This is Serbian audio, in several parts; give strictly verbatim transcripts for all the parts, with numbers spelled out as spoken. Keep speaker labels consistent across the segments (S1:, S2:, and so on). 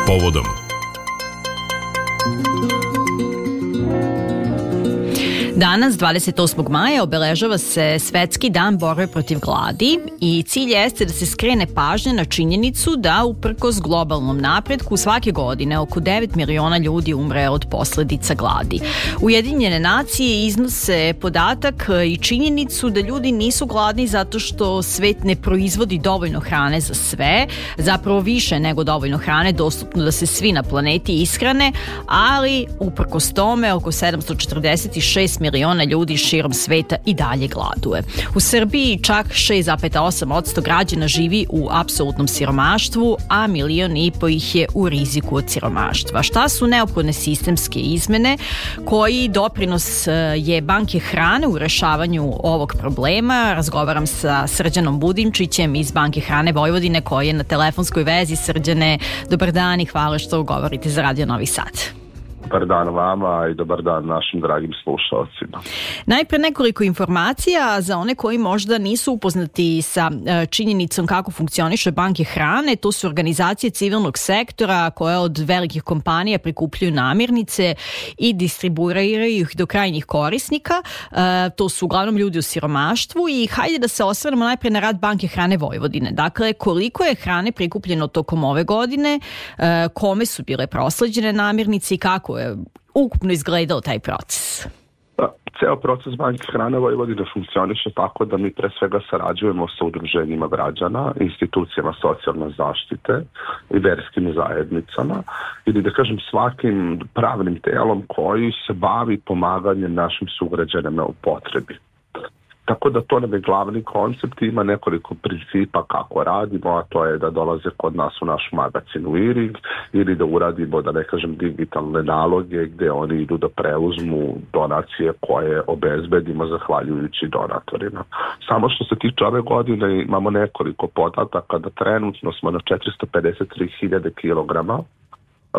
S1: povodom.
S2: Danas, dvadeset osmog maja, obeležava se Svetski dan borbe protiv gladi i cilj jeste da se skrene pažnja na činjenicu da uprkos globalnom napretku svake godine oko devet miliona ljudi umre od posledica gladi. Ujedinjene nacije iznose podatak i činjenicu da ljudi nisu gladni zato što svet ne proizvodi dovoljno hrane za sve, zapravo više nego dovoljno hrane dostupno da se svi na planeti ishrane, ali uprkos tome oko sedamsto četrdeset šest miliona ljudi širom sveta i dalje gladuje. U Srbiji čak šest zarez osam posto građana živi u apsolutnom siromaštvu, a milion i po ih je u riziku od siromaštva. Šta su neophodne sistemske izmene? Koji doprinos je Banke hrane u rešavanju ovog problema? Razgovaram sa Srđanom Budimčićem iz Banke hrane Vojvodine koji je na telefonskoj vezi. Srđane, dobar dan i hvala što govorite za Radio Novi Sad.
S3: Dobar dan vama i dobar dan našim dragim slušalcima.
S2: Najpre nekoliko informacija za one koji možda nisu upoznati sa činjenicom kako funkcioniše Banke hrane. To su organizacije civilnog sektora koje od velikih kompanija prikupljaju namirnice i distribuiraju ih do krajnjih korisnika. To su uglavnom ljudi u siromaštvu i hajde da se osvrnemo najpre na rad Banke hrane Vojvodine. Dakle, koliko je hrane prikupljeno tokom ove godine, kome su bile prosleđene namirnice i kako je ukupno izgledao taj proces?
S3: Ceo proces Banke hrane Vojvodine funkcioniše tako da mi pre svega sarađujemo sa udruženjima građana, institucijama socijalne zaštite i verskim zajednicama ili da kažem svakim pravnim telom koji se bavi pomaganjem našim sugrađanima u potrebi. Tako da to nam je glavni koncept, ima nekoliko principa kako radimo, a to je da dolaze kod nas u naš magazin u Irig ili da uradimo, da ne kažem, digitalne naloge gde oni idu da preuzmu donacije koje obezbedimo zahvaljujući donatorima. Samo što se tiče ove godine imamo nekoliko podataka da trenutno smo na četiristo pedeset tri hiljade kilograma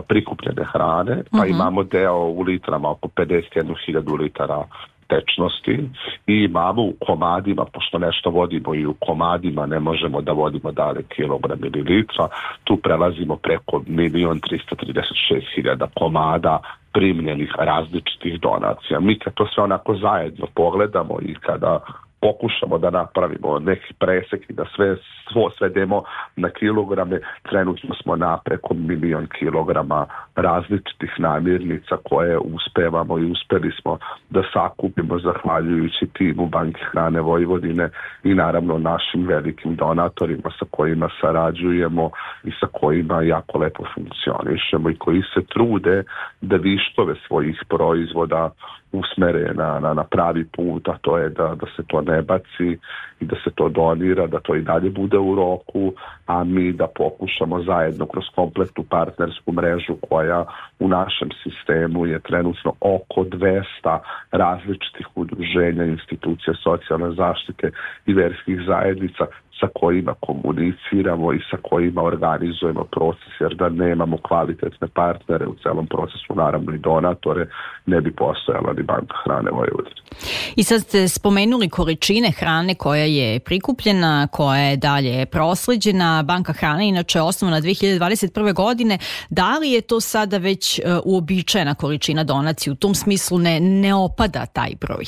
S3: prikupljene hrane, pa uh-huh. imamo deo u litrama, oko pedeset jednu hiljadu litara tečnosti i imamo u komadima, pošto nešto vodimo i u komadima, ne možemo da vodimo dalje kilogram ili litra, tu prelazimo preko milion tristo trideset šest hiljada komada primljenih različitih donacija. Mi kad to sve onako zajedno pogledamo i kada pokušamo da napravimo neki presek i da sve svo svedemo na kilograme, trenutno smo na preko milion kilograma različitih namirnica koje uspevamo i uspeli smo da sakupimo zahvaljujući timu Banke hrane Vojvodine i naravno našim velikim donatorima sa kojima sarađujemo i sa kojima jako lepo funkcionišemo i koji se trude da viškove svojih proizvoda usmere na, na, na pravi put, a to je da, da se to ne baci i da se to donira, da to i dalje bude u roku, a mi da pokušamo zajedno kroz kompletnu partnersku mrežu koja u našem sistemu je trenutno oko dvesta različitih udruženja, institucija socijalne zaštite i verskih zajednica sa kojima komuniciramo i sa kojima organizujemo proces, jer da nemamo kvalitetne partnere u celom procesu, naravno i donatore, ne bi postojala ni Banka hrane Vojvodine.
S2: I sad ste spomenuli količine hrane koja je prikupljena, koja je dalje prosleđena. Banka hrane inače je osnovana dve hiljade dvadeset prve. godine. Da li je to sada već uh, uobičajena količina donacije? U tom smislu ne, ne opada taj broj?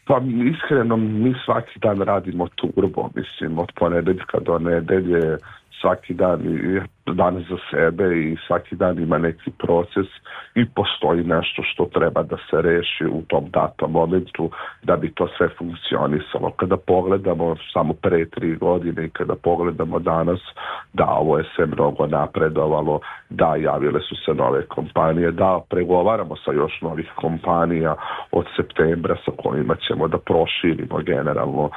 S3: Pa iskreno, mi svaki dan radimo turbo, mislim, od ponedeljka do nedelje, svaki dan je dan za sebe i svaki dan ima neki proces i postoji nešto što treba da se reši u tom datom momentu da bi to sve funkcionisalo. Kada pogledamo samo pre tri godine i kada pogledamo danas, da, ovo je sve mnogo napredovalo, da, javile su se nove kompanije, da, pregovaramo sa još novih kompanija od septembra sa kojima ćemo da proširimo generalno,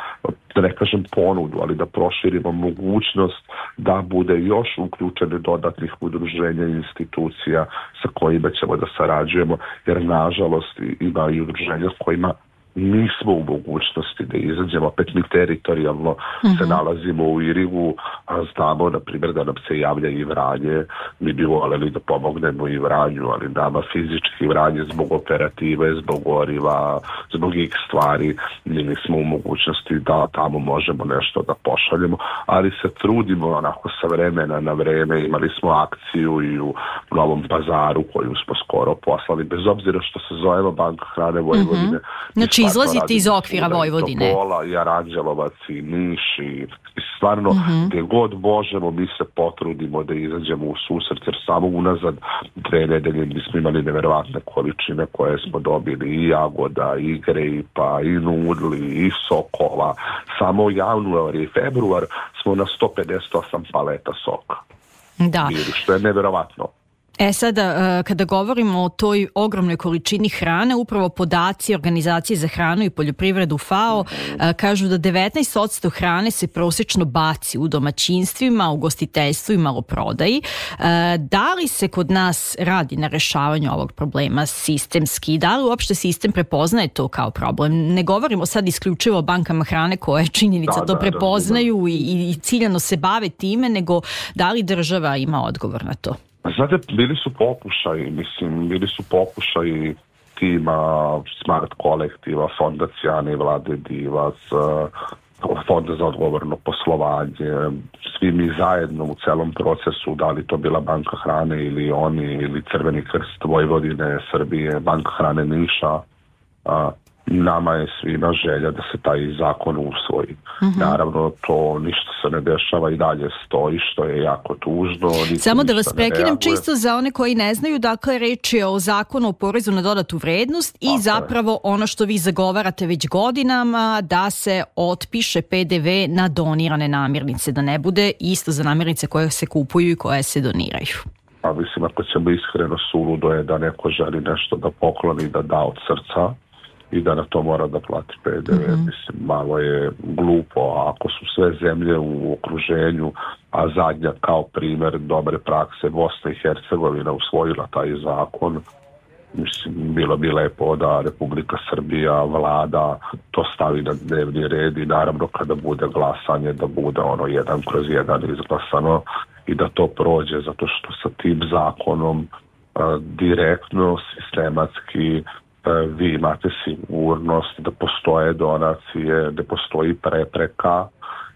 S3: da ne kažem ponudu, ali da proširimo mogućnost da bude još uključeno dodatnih udruženja i institucija sa kojima ćemo da sarađujemo, jer nažalost ima i udruženja s kojima nismo u mogućnosti da izađemo, opet mi teritorijalno mm-hmm. se nalazimo u Irigu, a znamo, na primjer, da nam se javlja i Vranje, mi bi voljeli da pomognemo i Vranju, ali nama fizički Vranje zbog operative, zbog goriva, zbog x stvari, mi nismo u mogućnosti da tamo možemo nešto da pošaljemo, ali se trudimo onako sa vremena na vreme, imali smo akciju i u Novom Pazaru koju smo skoro poslali, bez obzira što se zovemo Banka hrane Vojvodine. Mm-hmm.
S2: Znači izlazite iz okvira Vojvodine.
S3: I Topola, i Aranđelovac, i Niš, i stvarno mm-hmm. gdje god možemo mi se potrudimo da izađemo u susret, jer samo unazad dve nedelje mi smo imali neverovatne količine koje smo dobili i jagoda, i grejpa, i nudli, i sokova. Samo u januar i februar smo na sto pedeset osam paleta soka.
S2: Da.
S3: Bili, što je neverovatno.
S2: E sada, kada govorimo o toj ogromnoj količini hrane, upravo podaci Organizacije za hranu i poljoprivredu FAO kažu da devetnaest posto hrane se prosječno baci u domaćinstvima, ugostiteljstvu i maloprodaji. Da li se kod nas radi na rešavanju ovog problema sistemski? Da li uopšte sistem prepoznaje to kao problem? Ne govorimo sad isključivo o bankama hrane koje činjenica da, to da, prepoznaju da, da. I, i ciljano se bave time, nego da li država ima odgovor na to?
S3: Znate, bili su pokušaji, mislim, bili su pokušaji tima Smart kolektiva, Fonda Cijane i Vlade Divac, Fonda za odgovorno poslovanje, svi mi zajedno u celom procesu, da li to bila Banka hrane ili oni, ili Crveni krst Vojvodine, Srbije, Banka hrane Niša, nama je svima želja da se taj zakon usvoji. Mm-hmm. Naravno, to ništa se ne dešava i dalje stoji, što je jako tužno.
S2: Samo da vas prekinem čisto za one koji ne znaju, dakle, reč je o zakonu o porezu na dodatu vrednost i tako zapravo je. Ono što vi zagovarate već godinama, da se otpiše pe de ve na donirane namirnice, da ne bude isto za namirnice koje se kupuju i koje se doniraju.
S3: A mislim, ako ćemo iskreno, suludo je da neko želi nešto da pokloni, da da od srca i da na to mora da plati pe de ve. Mm-hmm. Mislim, malo je glupo. Ako su sve zemlje u okruženju, a zadnja kao primjer dobre prakse Bosna i Hercegovina usvojila taj zakon, mislim, bilo bi lepo da Republika Srbija, vlada to stavi na dnevni red i naravno kada bude glasanje da bude ono jedan kroz jedan izglasano i da to prođe, zato što sa tim zakonom a, direktno, sistematski vi imate sigurnost da postoje donacije, da postoji prepreka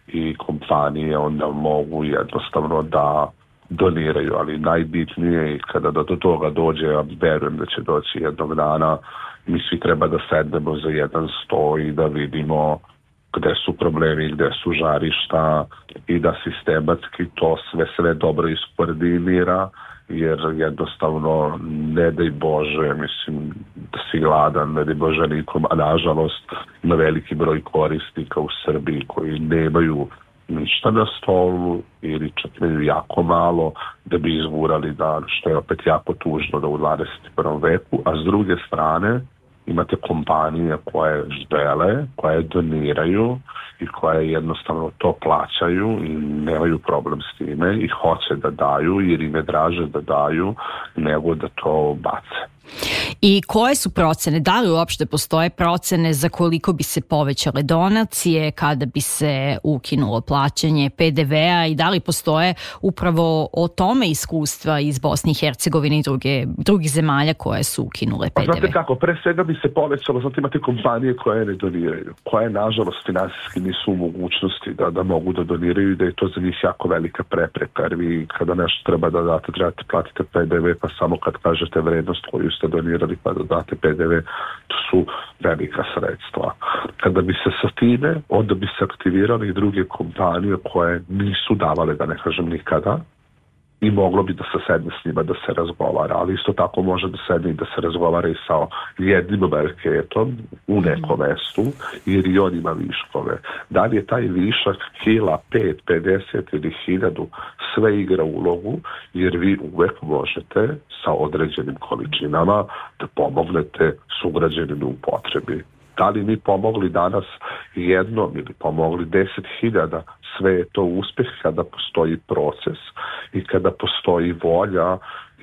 S3: i kompanije onda mogu jednostavno da doniraju, ali najbitnije je kada do toga dođe, ja verujem da će doći jednog dana, mi svi treba da sednemo za jedan sto i da vidimo gde su problemi, gde su žarišta i da sistematski to sve sve dobro iskoordinira, jer jednostavno ne daj Bože, mislim da si gladan, ne daj Bože nikom, a nažalost ima veliki broj korisnika u Srbiji koji nemaju ništa na stolu ili čak imaju jako malo da bi izgurali dan, što je opet jako tužno da u dvadeset prvom veku, a s druge strane imate kompanije koje žele, koje doniraju i koje jednostavno to plaćaju i nemaju problem s time i hoće da daju jer im je draže da daju nego da to bace.
S2: I koje su procene? Da li uopšte postoje procene za koliko bi se povećale donacije, kada bi se ukinulo plaćanje pe de vea i da li postoje upravo o tome iskustva iz Bosne i Hercegovine i druge, drugih zemalja koje su ukinule pe de ve?
S3: Znate kako, pre svega bi se povećalo, znate imate kompanije koje ne doniraju, koje nažalost finansijski nisu u mogućnosti da, da mogu da doniraju i da je to za njih jako velika prepreka, jer vi kada nešto treba da date, trebate platiti pe de ve, pa samo kad kažete vrednost koju ste donirali pa da date pe de ve, to su velika sredstva. Kada bi se sa time, onda bi se aktivirali i druge kompanije koje nisu davale, da ne kažem nikada, i moglo bi da se sedne s njima da se razgovara, ali isto tako može da sedne i da se razgovara i sa jednim marketom u nekom mestu, jer i on ima viškove. Da li je taj višak kila, pet, pedeset ili hiljadu, sve igra ulogu, jer vi uvek možete sa određenim količinama da pomognete sugrađaninu u potrebi. Da li mi pomogli danas jednom ili pomogli deset hiljada, sve je to uspjeh kada postoji proces i kada postoji volja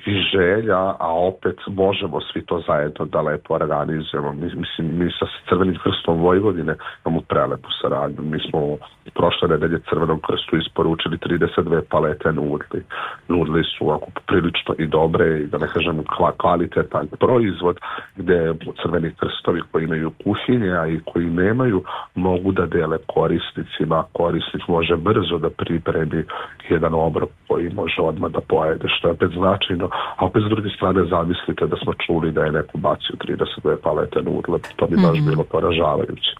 S3: i želja, a opet možemo svi to zajedno da lepo organizujemo. Mi, mislim, mi sa Crvenim krstom Vojvodine imamo prelepu saradnju. Mi smo prošle nedelje Crvenom krstu isporučili trideset dve palete nudli. Nudli su ako prilično i dobre i da ne kažem kvalitetan proizvod gdje Crveni krstovi koji imaju kuhinje, a i koji nemaju, mogu da dele korisnicima. Korisnik može brzo da pripremi jedan obrok koji može odmah da pojede, što je opet značajno. A opet s druge strane zamislite da smo čuli da je neko bacio trideset dve palete nudle, to bi baš mm-hmm. bilo poražavajuće.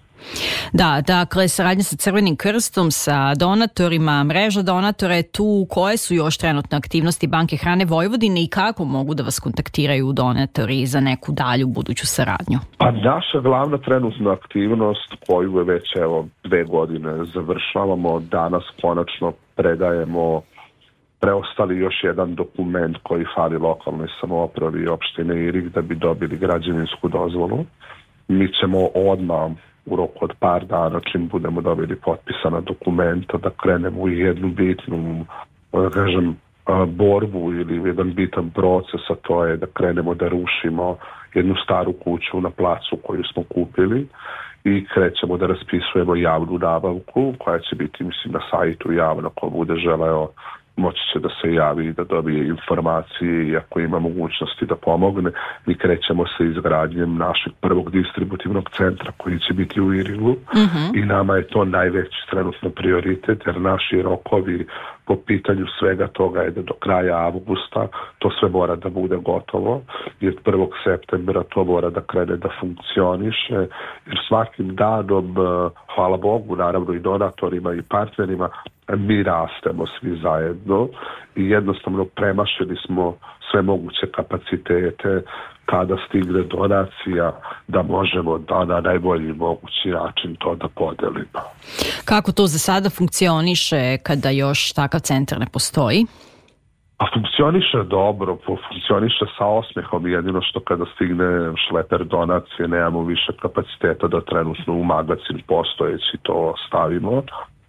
S2: Da, dakle, saradnja sa Crvenim krstom, sa donatorima, mreža donatora je tu. Koje su još trenutne aktivnosti Banke hrane Vojvodine i kako mogu da vas kontaktiraju donatori za neku dalju buduću saradnju?
S3: Pa naša glavna trenutna aktivnost koju je već evo dve godine završavamo, danas konačno predajemo preostali još jedan dokument koji fali lokalnoj samoupravi i opštine Irig da bi dobili građevinsku dozvolu. Mi ćemo odmah u roku od par dana, čim budemo dobili potpisana dokumenta, da krenemo u jednu bitnu, da kažem, borbu ili jedan bitan proces, a to je da krenemo da rušimo jednu staru kuću na placu koju smo kupili i krećemo da raspisujemo javnu nabavku koja će biti, mislim, na sajtu javno. Ko bude želeo moći će da se javi i da dobije informacije i ako ima mogućnosti da pomogne. Mi krećemo sa izgradnjem našeg prvog distributivnog centra koji će biti u Irigu mm-hmm. i nama je to najveći trenutno prioritet jer naši rokovi po pitanju svega toga je da do kraja avgusta to sve mora da bude gotovo i od prvog septembra to mora da krene da funkcioniše jer svakim danom, hvala Bogu, naravno i donatorima i partnerima, mi rastemo svi zajedno i jednostavno premašili smo sve moguće kapacitete kada stigne donacija da možemo da na najbolji mogući način to da podelimo.
S2: Kako to za sada funkcioniše kada još takav centar ne postoji?
S3: A funkcioniše dobro, funkcioniše sa osmehom, jedino što kada stigne šleper donacije nemamo više kapaciteta da trenutno u magacin postojeći to stavimo,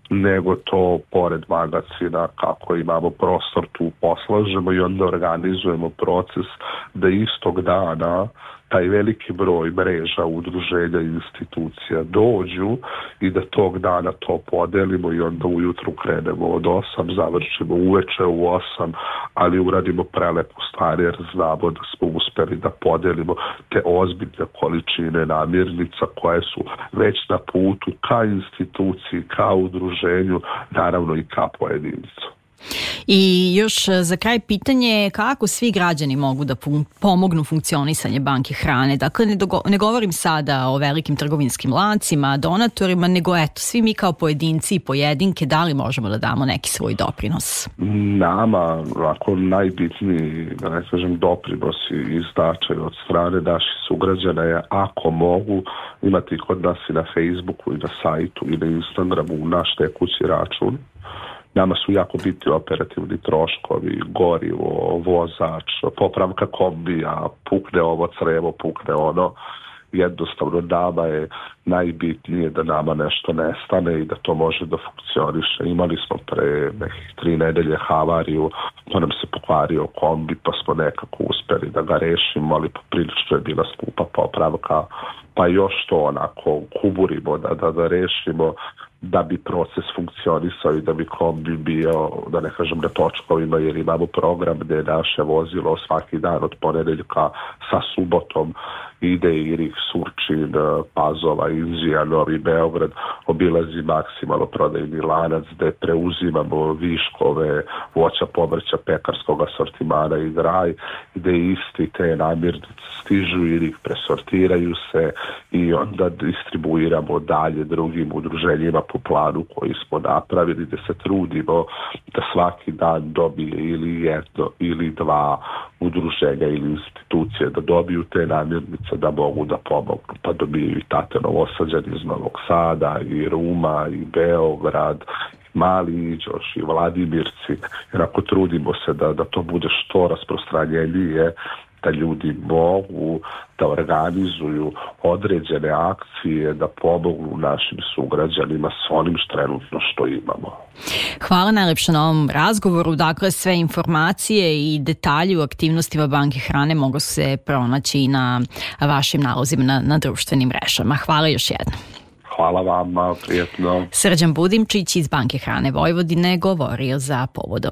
S3: nego to pored magacina kako imamo prostor tu poslažemo i onda organizujemo proces da istog dana taj veliki broj mreža, udruženja i institucija dođu i da tog dana to podelimo i onda ujutru krenemo od osam, završimo uveče u osam, ali uradimo prelepu stvar jer znamo da smo uspeli da podelimo te ozbiljne količine namirnica koje su već na putu ka instituciji, ka udruženju, naravno i ka pojedincu.
S2: I još za kraj pitanje, kako svi građani mogu da fun- pomognu funkcionisanje Banke hrane? Dakle, ne, dogo- ne govorim sada o velikim trgovinskim lancima, donatorima, nego eto, svi mi kao pojedinci i pojedinke, da li možemo da damo neki svoj doprinos?
S3: Nama, ako najbitniji, da ne kažem, doprinosi i značaj od strane naših sugrađana je, ako mogu, imati kod nas i na Facebooku i na sajtu i na Instagramu naš tekući račun. Nama su jako bitni operativni troškovi, gorivo, vozač, popravka kombija, pukne ovo crevo, pukne ono. Jednostavno nama je najbitnije da nama nešto nestane i da to može da funkcioniše. Imali smo pre nekih tri nedelje havariju, pa nam se pokvario kombi, pa smo nekako uspeli da ga rešimo, ali poprilično je bila skupa popravka, pa još to onako kuburimo da, da, da rešimo da bi proces funkcionisao i da bi kombi bio, da ne kažem, na točkovima, jer imamo program gdje je naše vozilo svaki dan od ponedeljka sa subotom ide Irig, Surčin, Pazova, Inđija, Novi Beograd, obilazi maksimalno prodajni lanac gdje preuzimamo viškove voća, povrća, pekarskog asortimana i graj, gdje isti te namirnice stižu u Irig, presortiraju se i onda distribuiramo dalje drugim udruženjima po planu koji smo napravili, gdje se trudimo da svaki dan dobije ili jedno ili dva udruženja ili institucije da dobiju te namirnice da mogu da pomognu, pa dobiju i Tate Novosađani iz Novog Sada i Ruma i Beograd, Mali Iđoš i Vladimirci, jer ako trudimo se da, da to bude što rasprostranjenije da ljudi mogu da organizuju određene akcije, da pomognu našim sugrađanima s onim što trenutno što imamo.
S2: Hvala najlepše na ovom razgovoru. Dakle, sve informacije i detalji u aktivnostima Banke hrane mogu se pronaći na vašim nalozima na, na društvenim mrežama. Hvala još jednom.
S3: Hvala vama, prijetno.
S2: Srđan Budimčić iz Banke hrane Vojvodine govorio za Povodom.